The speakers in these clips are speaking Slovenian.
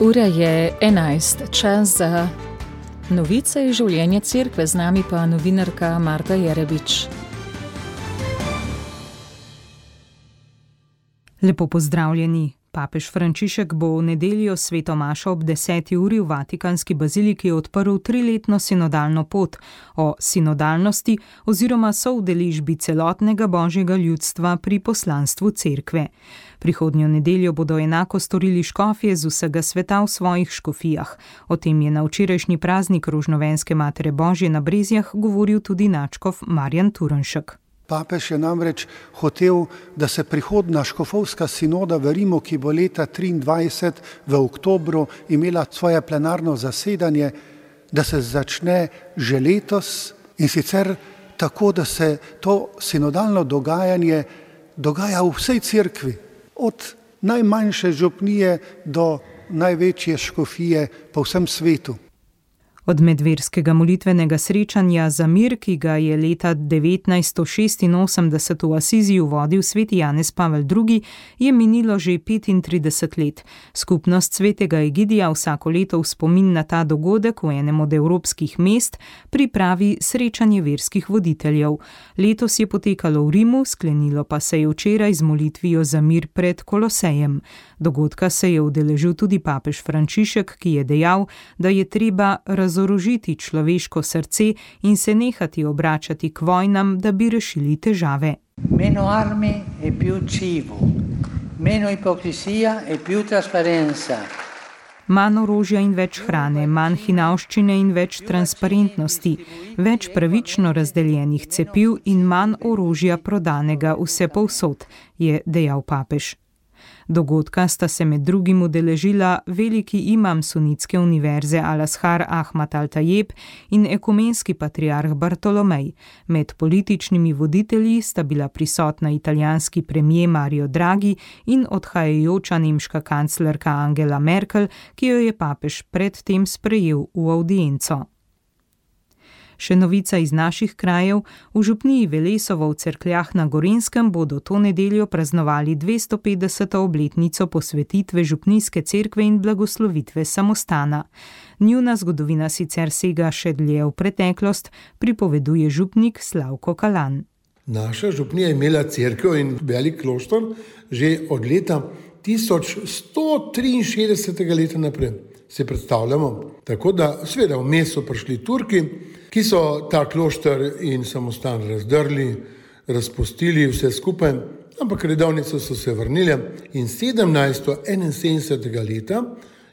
Ura je 11, čas za novice iz življenja cerkve, z nami pa novinarka Marta Jerebič. Lepo pozdravljeni. Papež Frančišek bo v nedeljo sveto mašo ob 10. uri v Vatikanski baziliki odprl 3-letno sinodalno pot o sinodalnosti oziroma soudeležbi celotnega božjega ljudstva pri poslanstvu cerkve. Prihodnjo nedeljo bodo enako storili škofje z vsega sveta v svojih škofijah. O tem je na včerajšnji praznik Rožnovenske Matere Božje na Brezjah govoril tudi nadškof Marjan Turnšek. Papež je namreč hotel, da se prihodna škofovska sinoda v Rimu, ki bo leta 2023 v oktobru imela svoje plenarno zasedanje, da se začne že letos in sicer tako, da se to sinodalno dogajanje dogaja v vsej cerkvi, od najmanjše župnije do največje škofije po vsem svetu. Od medverskega molitvenega srečanja za mir, ki ga je leta 1986 v Asiziju vodil sveti Janez Pavel II., je minilo že 35 let. Skupnost svetega Egidija vsako leto v spomin na ta dogodek v enem od evropskih mest pripravi srečanje verskih voditeljev. Letos je potekalo v Rimu, sklenilo pa se je včeraj z molitvijo za mir pred Kolosejem. Dogodka se je udeležil tudi papež Frančišek, ki je dejal, da je treba razorožiti človeško srce in se nehati obračati k vojnam, da bi rešili težave. Meno armi e più cibo, meno ipokrisija e più trasparenza. Manj orožja in več hrane, manj hinavščine in več transparentnosti, več pravično razdeljenih cepiv in manj orožja prodanega vse povsod, je dejal papež. Dogodka sta se med drugim udeležila veliki imam sunitske univerze Al-Azhar Ahmad Al-Tajeb in ekumenski patriarh Bartolomej. Med političnimi voditelji sta bila prisotna italijanski premier Mario Draghi in odhajajoča nemška kanclerka Angela Merkel, ki jo je papež predtem sprejel v avdienco. Še novica iz naših krajev. V župniji Velesovo v Cerkljah na Gorenjskem bodo to nedeljo praznovali 250. obletnico posvetitve župnijske cerkve in blagoslovitve samostana. Njuna zgodovina sicer sega še dlje v preteklost, pripoveduje župnik Slavko Kalan. Naša župnija je imela cerkev in velik kloštor že od leta 1163. leta naprej. Se predstavljamo. Tako da seveda vmes so prišli Turki, ki so ta klošter in samostan razdrli, razpustili vse skupaj, ampak redovnice so se vrnile in 1771. leta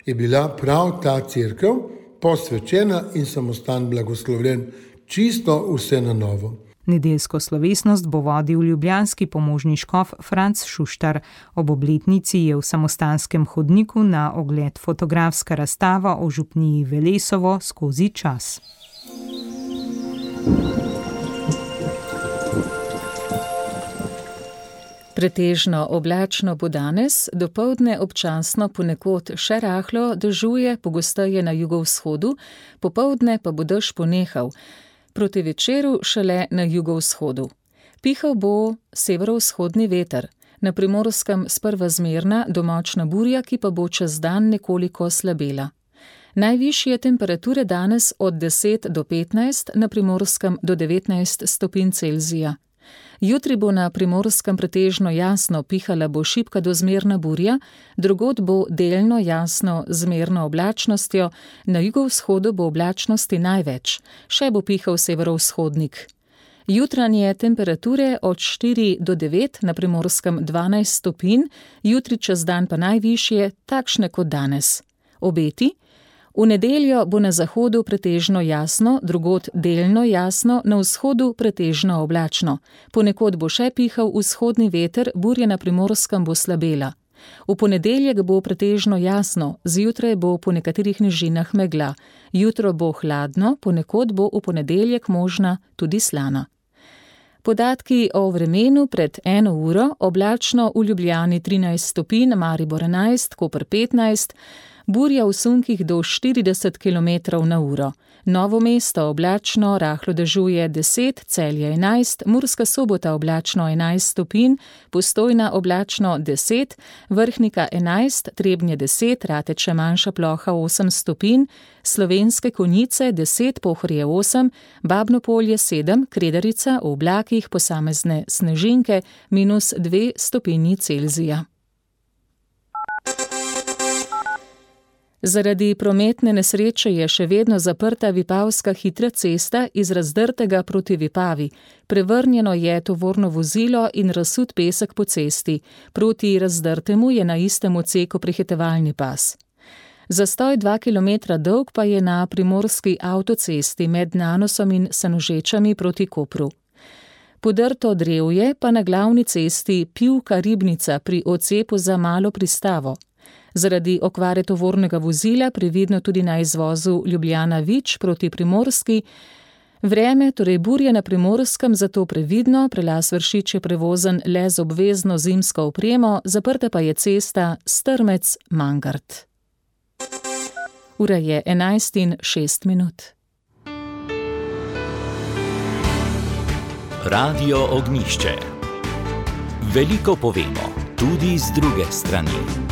je bila prav ta cerkev posvečena in samostan blagoslovljen, čisto vse na novo. Nedeljsko slovesnost bo vodil ljubljanski pomožni škof Franc Šuštar. Ob obletnici je v samostanskem hodniku na ogled fotografska razstava o župniji Velesovo skozi čas. Pretežno oblačno bo danes, dopoldne občasno ponekod še rahlo dežuje, pogosteje na jugovzhodu, popoldne pa bo dež ponehal. Proti večeru šele na jugovzhodu. Pihal bo severovzhodni veter, na Primorskem sprva zmerna do močna burja, ki pa bo čez dan nekoliko slabela. Najvišje temperature danes od 10 do 15, na Primorskem do 19 stopinj Celzija. Jutri bo na Primorskem pretežno jasno, pihala bo šibka do zmerna burja, drugod bo delno jasno zmerno oblačnostjo, na jugovzhodu bo oblačnosti največ, še bo pihal severovzhodnik. Jutranje temperature od 4 do 9, na Primorskem 12 stopinj, jutri čez dan pa najvišje, takšne kot danes. Obeti? V nedeljo bo na zahodu pretežno jasno, drugod delno jasno, na vzhodu pretežno oblačno. Ponekod bo še pihal vzhodni veter, burja na Primorskem bo slabela. V ponedeljek bo pretežno jasno, zjutraj bo po nekaterih nižinah megla. Jutro bo hladno, ponekod bo v ponedeljek možna tudi slana. Podatki o vremenu pred 1 uro, oblačno v Ljubljani 13 stopinj, Maribor 11, Koper 15, burja v sunkih do 40 km/h. Novo Mesto oblačno, rahlo dežuje 10, Celje 11, Murska Sobota oblačno 11 stopinj, Postojna oblačno 10, Vrhnika 11, Trebnje 10, Rateče manjša ploha 8 stopinj, Slovenske Konjice 10, Pohorje 8, Babno Polje 7, Kredarica v oblakih posamezne snežinke -2 stopinji Celzija. Zaradi prometne nesreče je še vedno zaprta Vipavska hitra cesta iz Razdrtega proti Vipavi. Prevrnjeno je tovorno vozilo in razsut pesek po cesti. Proti Razdrtemu je na istem odseku prehitevalni pas. Zastoj 2 km dolg pa je na primorski avtocesti med Nanosom in Senožečami proti Kopru. Podrto drevje pa na glavni cesti Pivka-Ribnica pri odcepu za Malo Pristavo. Zaradi okvare tovornega vozila previdno tudi na izvozu Ljubljana-Vič proti Primorski. Vreme, torej burje na Primorskem, zato previdno, prelaz Vršič je prevozen le z obvezno zimsko opremo, zaprta pa je cesta Strmec-Mangart. Ura je 11:06. Radio Ognjišče. Veliko povemo, tudi z druge strani.